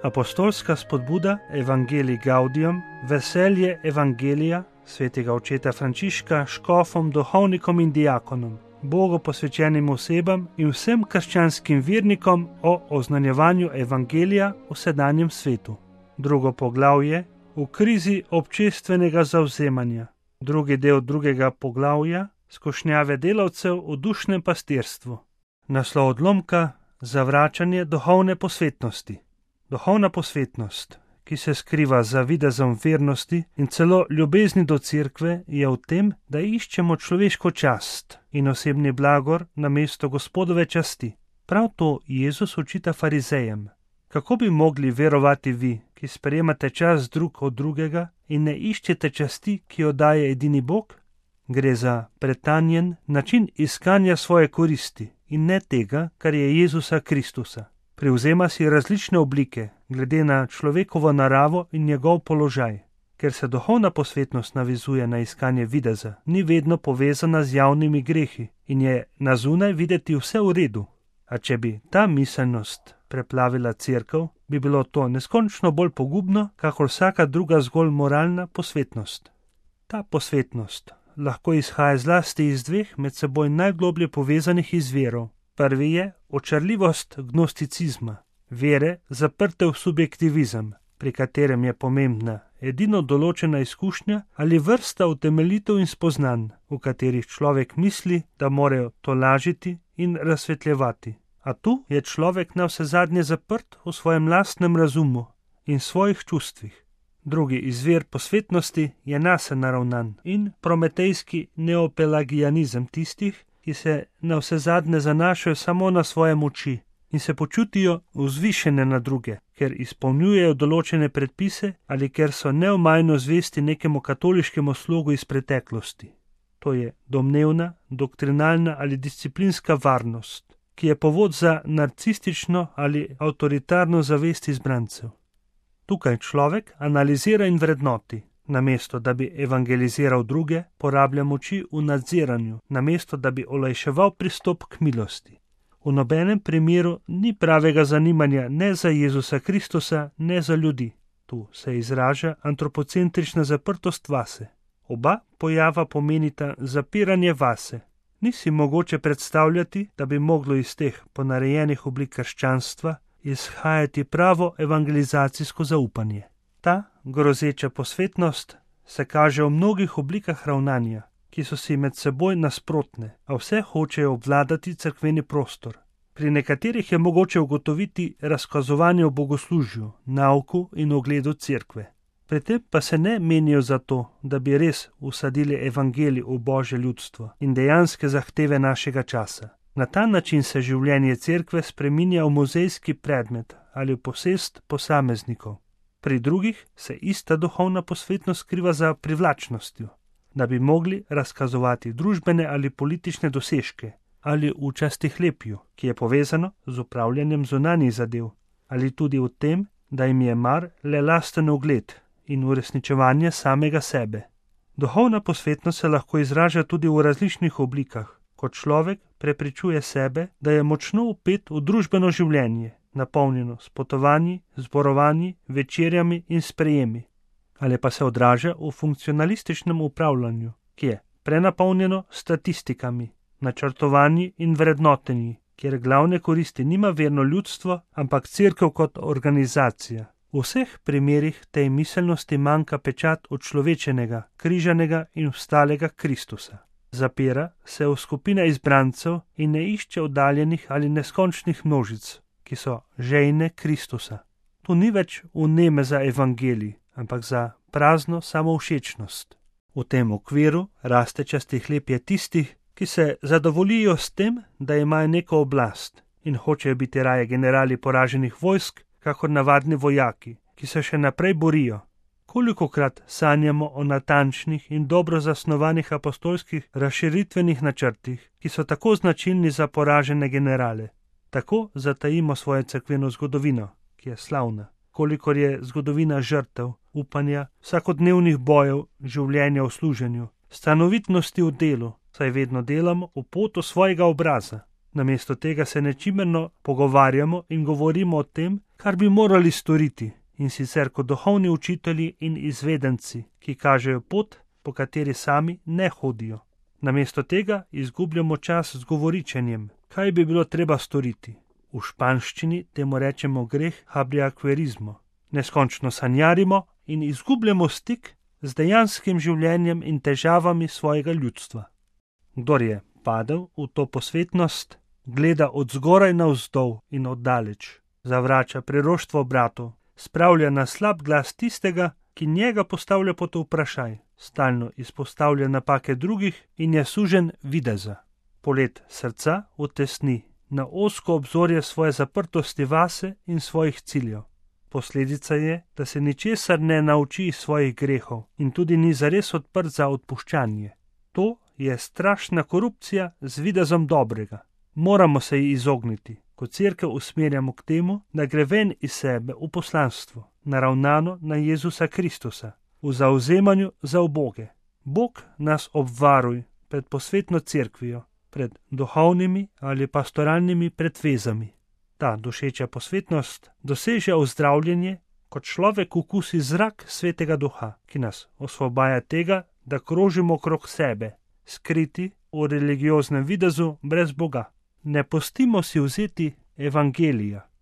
Apostolska spodbuda Evangelii Gaudium, veselje Evangelija svetega očeta Frančiška škofom, duhovnikom in diakonom, Bogu posvečenim osebam in vsem krščanskim vernikom o oznanjevanju Evangelija v sedanjem svetu. Drugo poglavje v krizi občestvenega zavzemanja. Drugi del drugega poglavja skušnjave delavcev v dušnem pastirstvu. Naslov odlomka: zavračanje duhovne posvetnosti. Duhovna posvetnost, ki se skriva za videzom vernosti in celo ljubezni do cerkve, je v tem, da iščemo človeško čast in osebni blagor namesto Gospodove časti. Prav to Jezus očita farizejem. Kako bi mogli verovati vi, ki sprejemate čast drug od drugega in ne iščete časti, ki jo daje edini Bog? Gre za pretanjen način iskanja svoje koristi in ne tega, kar je Jezusa Kristusa. Privzema si različne oblike, glede na človekovo naravo in njegov položaj. Ker se duhovna posvetnost navezuje na iskanje videza, ni vedno povezana z javnimi grehi in je na zunaj videti vse v redu. A če bi ta miselnost preplavila cerkev, bi bilo to neskončno bolj pogubno, kakor vsaka druga zgolj moralna posvetnost. Ta posvetnost lahko izhaja zlasti iz dveh med seboj najgloblje povezanih izvirov. Prvi je očarljivost gnosticizma, vere zaprte v subjektivizem, pri katerem je pomembna edino določena izkušnja ali vrsta utemeljitev in spoznanj, v katerih človek misli, da morajo tolažiti in razsvetljevati. A tu je človek navsezadnje zaprt v svojem lastnem razumu in svojih čustvih. Drugi izvir posvetnosti je nase naravnan in prometejski neopelagijanizem tistih, ki se navsezadnje zanašajo samo na svoje moči in se počutijo vzvišene na druge, ker izpolnjujejo določene predpise ali ker so neomajno zvesti nekemu katoliškemu slogu iz preteklosti. To je domnevna, doktrinalna ali disciplinska varnost, ki je povod za narcistično ali avtoritarno zavest izbrancev. Tukaj človek analizira in vrednoti. Namesto da bi evangeliziral druge, porablja moči v nadziranju, namesto da bi olajševal pristop k milosti. V nobenem primeru ni pravega zanimanja ne za Jezusa Kristusa, ne za ljudi. Tu se izraža antropocentrična zaprtost vase. Oba pojava pomenita zapiranje vase. Ni si mogoče predstavljati, da bi moglo iz teh ponarejenih oblik krščanstva izhajati pravo evangelizacijsko zaupanje. Ta grozeča posvetnost se kaže v mnogih oblikah ravnanja, ki so si med seboj nasprotne, a vse hočejo obvladati cerkveni prostor. Pri nekaterih je mogoče ugotoviti razkazovanje v bogoslužju, nauku in ugledu cerkve. Pri tem pa se ne menijo zato, da bi res usadili evangelij v Božje ljudstvo in dejanske zahteve našega časa. Na ta način se življenje cerkve spreminja v muzejski predmet ali v posest posameznikov. Pri drugih se ista duhovna posvetnost skriva za privlačnostjo, da bi mogli razkazovati družbene ali politične dosežke ali v častihlepju, ki je povezano z upravljanjem zunanjih zadev, ali tudi v tem, da jim je mar le lasten ugled in uresničevanje samega sebe. Duhovna posvetnost se lahko izraža tudi v različnih oblikah, kot človek prepričuje sebe, da je močno vpet v družbeno življenje, napolnjeno s potovanji, zborovanji, večerjami in sprejemi, ali pa se odraža v funkcionalističnem upravljanju, ki je prenapolnjeno statistikami, načrtovanji in vrednotenji, kjer glavne koristi nima verno ljudstvo, ampak cerkev kot organizacija. V vseh primerih tej miselnosti manjka pečat odčlovečenega, križanega in vstalega Kristusa. Zapira se v skupine izbrancev in ne išče oddaljenih ali neskončnih množic, ki so žejne Kristusa. Tu ni več vneme za evangelij, ampak za prazno samovšečnost. V tem okviru raste častihlepje tistih, ki se zadovoljijo s tem, da imajo neko oblast in hočejo biti raje generali poraženih vojsk, kakor navadni vojaki, ki se še naprej borijo. Kolikokrat sanjamo o natančnih in dobro zasnovanih apostolskih razširitvenih načrtih, ki so tako značilni za poražene generale. Tako zatajimo svojo cerkveno zgodovino, ki je slavna, kolikor je zgodovina žrtev, upanja, vsakodnevnih bojev, življenja v služenju, stanovitnosti v delu, saj vedno delamo v potu svojega obraza. Namesto tega se nečimerno pogovarjamo in govorimo o tem, kar bi morali storiti, in sicer kot duhovni učitelji in izvedenci, ki kažejo pot, po kateri sami ne hodijo. Namesto tega izgubljamo čas z govoričenjem, kaj bi bilo treba storiti. V španščini temu rečemo greh habriakverizmo. Neskončno sanjarimo in izgubljamo stik z dejanskim življenjem in težavami svojega ljudstva. Kdor je padel v to posvetnost, gleda od zgoraj navzdol in oddaleč, zavrača priroštvo bratov, spravlja na slab glas tistega, ki njega postavlja pod vprašaj, stalno izpostavlja napake drugih in je sužen videza. Polet srca utesni na ozko obzorje svoje zaprtosti vase in svojih ciljev. Posledica je, da se ničesar ne nauči iz svojih grehov in tudi ni zares odprt za odpuščanje. To je strašna korupcija z videzom dobrega. Moramo se ji izogniti, ko cerkev usmerjamo k temu, da gre ven iz sebe v poslanstvo, naravnano na Jezusa Kristusa, v zavzemanju za uboge. Bog nas obvaruj pred posvetno cerkvijo, pred duhovnimi ali pastoralnimi predvezami. Ta dušeča posvetnost doseže ozdravljenje, kot človek okusi zrak Svetega Duha, ki nas osvobaja tega, da krožimo okrog sebe, skriti v religioznem videzu brez Boga. Ne pustimo si vzeti evangelija,